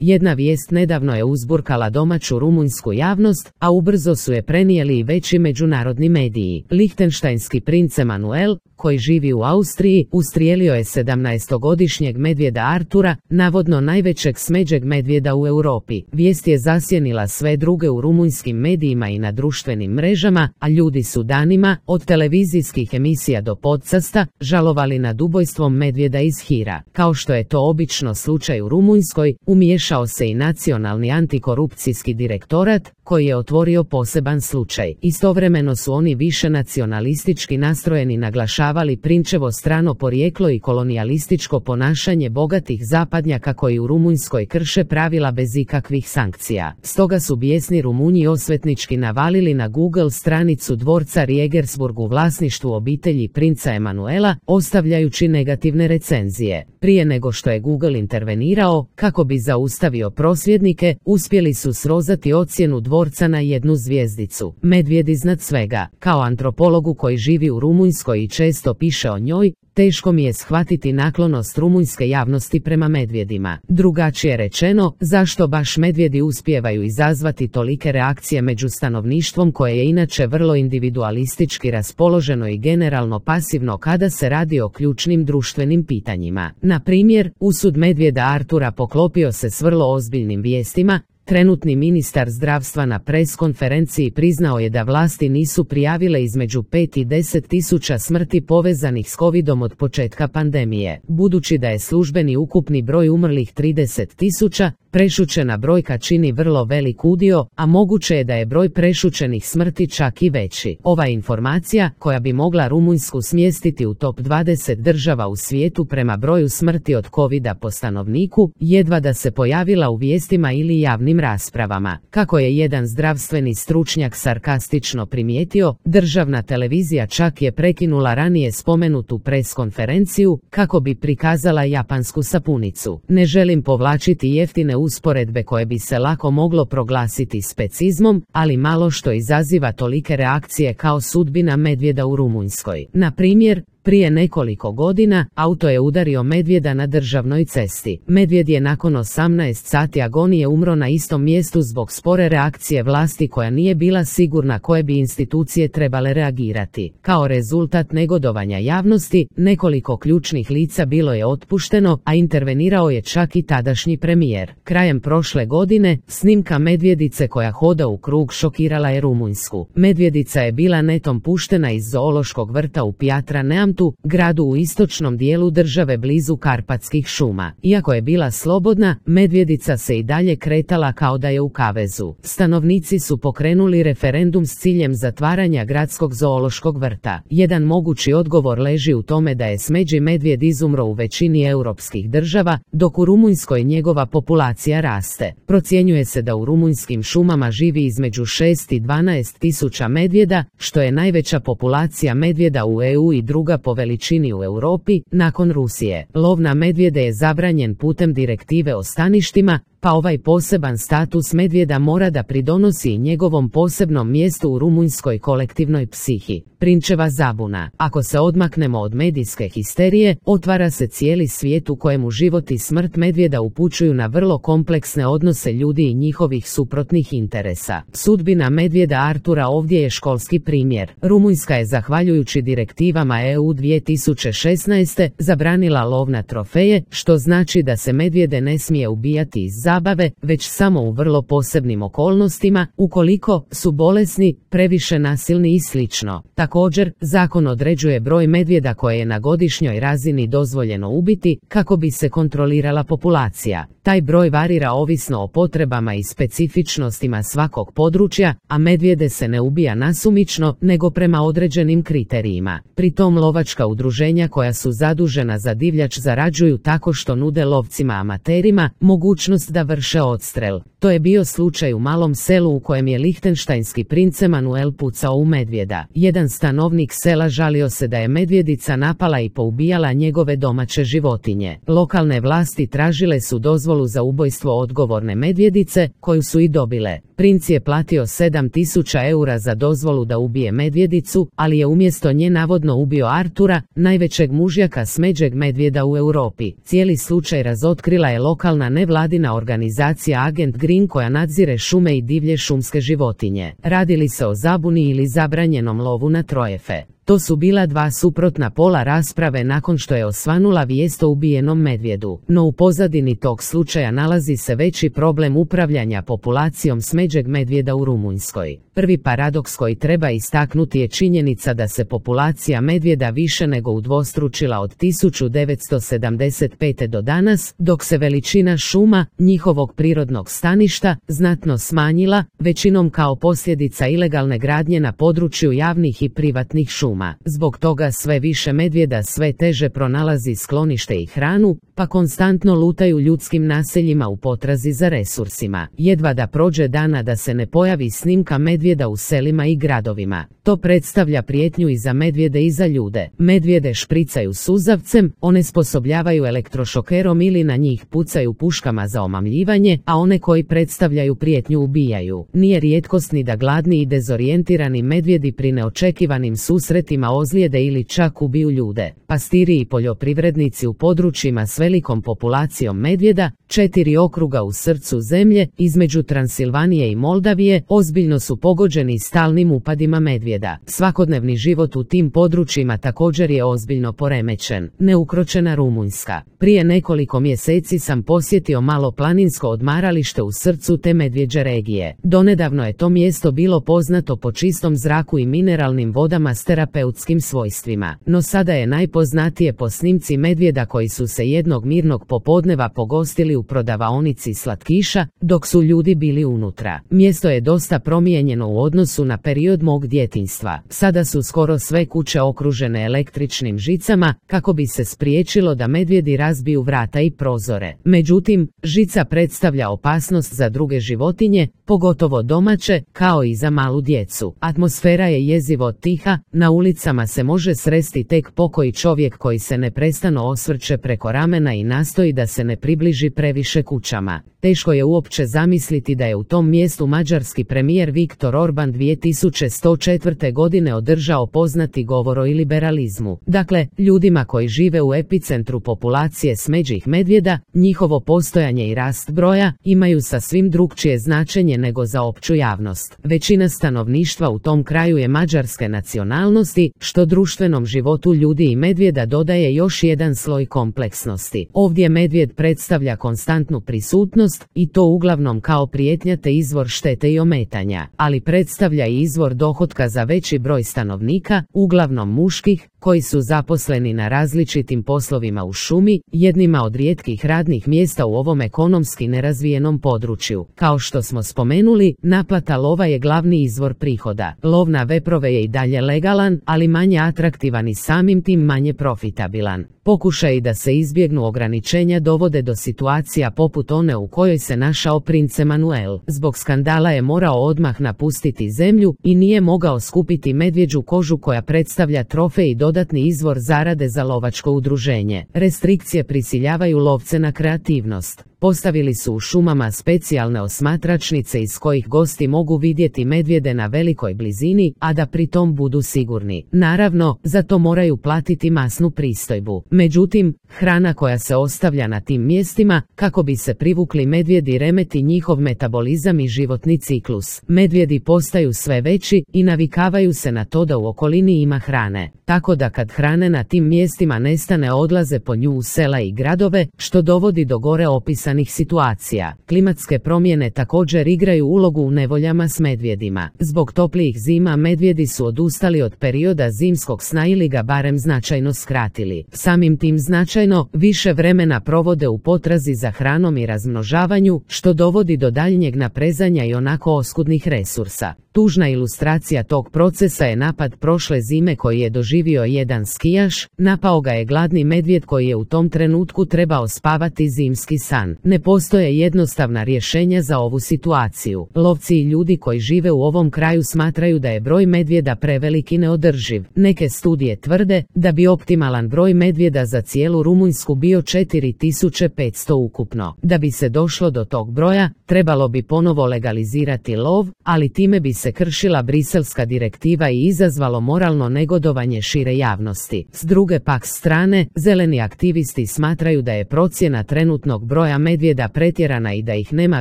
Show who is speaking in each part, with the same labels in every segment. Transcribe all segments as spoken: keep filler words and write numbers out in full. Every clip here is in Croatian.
Speaker 1: Jedna vijest nedavno je uzburkala domaću rumunjsku javnost, a ubrzo su je prenijeli i veći međunarodni mediji. Lihtenštajnski princ Emanuel, koji živi u Austriji, ustrijelio je sedamnaestogodišnjeg medvjeda Artura, navodno najvećeg smeđeg medvjeda u Europi. Vijest je zasjenila sve druge u rumunjskim medijima i na društvenim mrežama, a ljudi su danima, od televizijskih emisija do podcasta, žalovali nad ubojstvom medvjeda iz hira. Kao što je to obično slučaj u Rumunjskoj, umiješao se i Nacionalni antikorupcijski direktorat, koji je otvorio poseban slučaj. Istovremeno su oni više nacionalistički nastrojeni naglašavali prinčevo strano porijeklo i kolonijalističko ponašanje bogatih zapadnjaka koji u Rumunjskoj krše pravila bez ikakvih sankcija. Stoga su bijesni Rumunji osvetnički navalili na Google stranicu dvorca Regensburg u vlasništvu obitelji princa Emanuela, ostavljajući negativne recenzije. Prije nego što je Google intervenirao, kako bi zaustavio prosvjednike, uspjeli su srozati ocjenu dvorca na jednu zvjezdicu. Medvjed iznad svega. Kao antropologu koji živi u Rumunjskoj i često piše o njoj, teško mi je shvatiti naklonost rumunjske javnosti prema medvjedima. Drugačije rečeno, zašto baš medvjedi uspijevaju izazvati tolike reakcije među stanovništvom koje je inače vrlo individualistički raspoloženo i generalno pasivno kada se radi o ključnim društvenim pitanjima. Na primjer, usud medvjeda Artura poklopio se s vrlo ozbiljnim vijestima. Trenutni ministar zdravstva na pres konferenciji priznao je da vlasti nisu prijavile između pet i deset tisuća smrti povezanih s covidom od početka pandemije. Budući da je službeni ukupni broj umrlih trideset tisuća, prešućena brojka čini vrlo velik udio, a moguće je da je broj prešućenih smrti čak i veći. Ova informacija, koja bi mogla Rumunjsku smjestiti u top dvadeset država u svijetu prema broju smrti od covida po stanovniku, jedva da se pojavila u vijestima ili javnim raspravama. Kako je jedan zdravstveni stručnjak sarkastično primijetio, državna televizija čak je prekinula ranije spomenutu pres konferenciju kako bi prikazala japansku sapunicu. Ne želim povlačiti jeftine usporedbe koje bi se lako moglo proglasiti specizmom, ali malo što izaziva tolike reakcije kao sudbina medvjeda u Rumunjskoj. Na primjer, prije nekoliko godina, auto je udario medvjeda na državnoj cesti. Medvjed je nakon osamnaest sati agonije umro na istom mjestu zbog spore reakcije vlasti koja nije bila sigurna koje bi institucije trebale reagirati. Kao rezultat negodovanja javnosti, nekoliko ključnih lica bilo je otpušteno, a intervenirao je čak i tadašnji premijer. Krajem prošle godine, snimka medvjedice koja hoda u krug šokirala je Rumunjsku. Medvjedica je bila netom puštena iz zoološkog vrta u Piatra Neamtu, gradu u istočnom dijelu države blizu Karpatskih šuma. Iako je bila slobodna, medvjedica se i dalje kretala kao da je u kavezu. Stanovnici su pokrenuli referendum s ciljem zatvaranja gradskog zoološkog vrta. Jedan mogući odgovor leži u tome da je smeđi medvjed izumro u većini europskih država, dok u Rumunjskoj njegova populacija raste. Procjenjuje se da u rumunjskim šumama živi između šest i dvanaest tisuća medvjeda, što je najveća populacija medvjeda u E U i druga po veličini u Europi, nakon Rusije. Lov na medvjede je zabranjen putem direktive o staništima, pa ovaj poseban status medvjeda mora da pridonosi i njegovom posebnom mjestu u rumunjskoj kolektivnoj psihi. Prinčeva zabuna. Ako se odmaknemo od medijske histerije, otvara se cijeli svijet u kojemu život i smrt medvjeda upućuju na vrlo kompleksne odnose ljudi i njihovih suprotnih interesa. Sudbina medvjeda Artura ovdje je školski primjer. Rumunjska je zahvaljujući direktivama E U dvije tisuće šesnaeste zabranila lov na trofeje, što znači da se medvjede ne smije ubijati iz zabave, već samo u vrlo posebnim okolnostima, ukoliko su bolesni, previše nasilni i slično. Također, zakon određuje broj medvjeda koje je na godišnjoj razini dozvoljeno ubiti, kako bi se kontrolirala populacija. Taj broj varira ovisno o potrebama i specifičnostima svakog područja, a medvjede se ne ubija nasumično, nego prema određenim kriterijima. Pri tom lovačka udruženja koja su zadužena za divljač zarađuju tako što nude lovcima amaterima mogućnost da vrše odstrel. To To je bio slučaj u malom selu u kojem je lihtenštajnski princ Emanuel pucao u medvjeda. Jedan stanovnik sela žalio se da je medvjedica napala i poubijala njegove domaće životinje. Lokalne vlasti tražile su dozvolu za ubojstvo odgovorne medvjedice, koju su i dobile. Princ je platio sedam tisuća eura za dozvolu da ubije medvjedicu, ali je umjesto nje navodno ubio Artura, najvećeg mužjaka smeđeg medvjeda u Europi. Cijeli slučaj razotkrila je lokalna nevladina organizacija Agent Green koja nadzire šume i divlje šumske životinje. Radi li se o zabuni ili zabranjenom lovu na trojefe? To su bila dva suprotna pola rasprave nakon što je osvanula vijest o ubijenom medvjedu. No u pozadini tog slučaja nalazi se veći problem upravljanja populacijom smeđeg medvjeda u Rumunjskoj. Prvi paradoks koji treba istaknuti je činjenica da se populacija medvjeda više nego udvostručila od tisuću devetsto sedamdeset pete do danas, dok se veličina šuma, njihovog prirodnog staništa, znatno smanjila, većinom kao posljedica ilegalne gradnje na području javnih i privatnih šuma. Zbog toga sve više medvjeda sve teže pronalazi sklonište i hranu, pa konstantno lutaju ljudskim naseljima u potrazi za resursima. Jedva da prođe dana da se ne pojavi snimka medvjeda u selima i gradovima. To predstavlja prijetnju i za medvjede i za ljude. Medvjede špricaju suzavcem, onesposobljavaju elektrošokerom ili na njih pucaju puškama za omamljivanje, a one koji predstavljaju prijetnju ubijaju. Nije rijetkost ni da gladni i dezorijentirani medvjedi pri neočekivanim susretima ozlijede ili čak ubiju ljude. Pastiri i poljoprivrednici u područjima s velikom populacijom medvjeda, četiri okruga u srcu zemlje, između Transilvanije i Moldavije, ozbiljno su pogođeni stalnim upadima medvjeda. Svakodnevni život u tim područjima također je ozbiljno poremećen. Neukročena Rumunjska. Prije nekoliko mjeseci sam posjetio malo planinsko odmaralište u srcu te medvjeđe regije. Donedavno je to mjesto bilo poznato po čistom zraku i mineralnim vodama s terapeutskim svojstvima. No sada je najpoznatije po snimci medvjeda koji su se jednog mirnog popodneva pogostili u prodavaonici slatkiša, dok su ljudi bili unutra. Mjesto je dosta promijenjeno u odnosu na period mog djetinjstva. Sada su skoro sve kuće okružene električnim žicama, kako bi se spriječilo da medvjedi razbiju vrata i prozore. Međutim, žica predstavlja opasnost za druge životinje, pogotovo domaće, kao i za malu djecu. Atmosfera je jezivo tiha, na ulicama se može sresti tek pokoji čovjek koji se neprestano osvrće preko ramena i nastoji da se ne približi previše kućama. Teško je uopće zamisliti da je u tom mjestu mađarski premijer Viktor Orban dvije tisuće četvrte. godine održao poznati govor o liberalizmu. Dakle, ljudima koji žive u epicentru populacije smeđih medvjeda, njihovo postojanje i rast broja imaju sasvim drukčije značenje nego za opću javnost. Većina stanovništva u tom kraju je mađarske nacionalnosti, što društvenom životu ljudi i medvjeda dodaje još jedan sloj kompleksnosti. Ovdje medvjed predstavlja konstantnu prisutnost, i to uglavnom kao prijetnja te izvor štete i ometanja, ali predstavlja i izvor dohotka za veći broj stanovnika, uglavnom muških, koji su zaposleni na različitim poslovima u šumi, jednima od rijetkih radnih mjesta u ovom ekonomski nerazvijenom području. Kao što smo spomenuli, naplata lova je glavni izvor prihoda. Lov na veprove je i dalje legalan, ali manje atraktivan i samim tim manje profitabilan. Pokušaji da se izbjegnu ograničenja dovode do situacija poput one u kojoj se našao princ Emanuel. Zbog skandala je morao odmah napustiti zemlju i nije mogao skupiti medvjeđu kožu koja predstavlja trofej i dodatni izvor zarade za lovačko udruženje. Restrikcije prisiljavaju lovce na kreativnost. Postavili su u šumama specijalne osmatračnice iz kojih gosti mogu vidjeti medvjede na velikoj blizini, a da pritom budu sigurni. Naravno, za to moraju platiti masnu pristojbu. Međutim, hrana koja se ostavlja na tim mjestima, kako bi se privukli medvjedi, remeti njihov metabolizam i životni ciklus. Medvjedi postaju sve veći i navikavaju se na to da u okolini ima hrane. Tako da kad hrane na tim mjestima nestane, odlaze po nju u sela i gradove, što dovodi do gore opisanih situacija. Klimatske promjene također igraju ulogu u nevoljama s medvjedima. Zbog toplijih zima medvjedi su odustali od perioda zimskog sna ili ga barem značajno skratili. Samim tim značajno više vremena provode u potrazi za hranom i razmnožavanju, što dovodi do daljnjeg naprezanja i onako oskudnih resursa. Tužna ilustracija tog procesa je napad prošle zime koji je doživio jedan skijaš. Napao ga je gladni medvjed koji je u tom trenutku trebao spavati zimski san. Ne postoje jednostavna rješenja za ovu situaciju. Lovci i ljudi koji žive u ovom kraju smatraju da je broj medvjeda prevelik i neodrživ. Neke studije tvrde da bi optimalan broj medvjeda za cijelu Rumunjsku bio četiri tisuće petsto ukupno. Da bi se došlo do tog broja, trebalo bi ponovo legalizirati lov, ali time bi se kršila briselska direktiva i izazvalo moralno negodovanje šire javnosti. S druge pak strane, zeleni aktivisti smatraju da je procjena trenutnog broja medvjeda pretjerana i da ih nema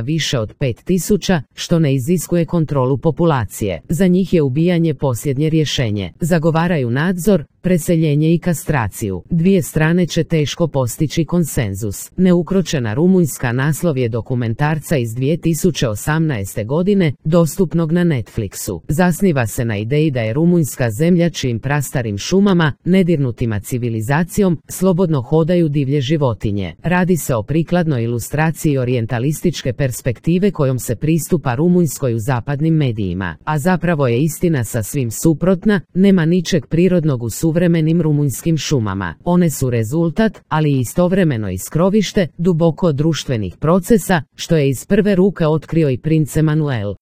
Speaker 1: više od pet tisuća, što ne iziskuje kontrolu populacije. Za njih je ubijanje posljednje rješenje. Zagovaraju nadzor, preseljenje i kastraciju. Dvije strane će teško postići konsenzus. Neukročena Rumunjska naslov je dokumentarca iz dvije tisuće osamnaeste. godine, dostupnog na Netflixu. Zasniva se na ideji da je Rumunjska zemlja čijim prastarim šumama, nedirnutima civilizacijom, slobodno hodaju divlje životinje. Radi se o prikladnoj ilustraciji orijentalističke perspektive kojom se pristupa Rumunjskoj u zapadnim medijima. A zapravo je istina sasvim suprotna, nema ničeg prirodnog u suvremenim rumunjskim šumama. One su rezultat, ali i istovremeno i skrovište, duboko društvenih procesa, što je iz prve ruke otkrio i princ Emanuel.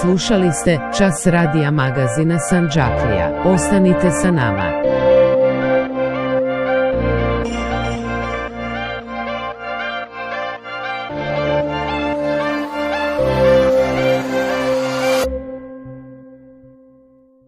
Speaker 1: Slušali ste Čas radija magazina Sandžaklija. Ostanite sa nama.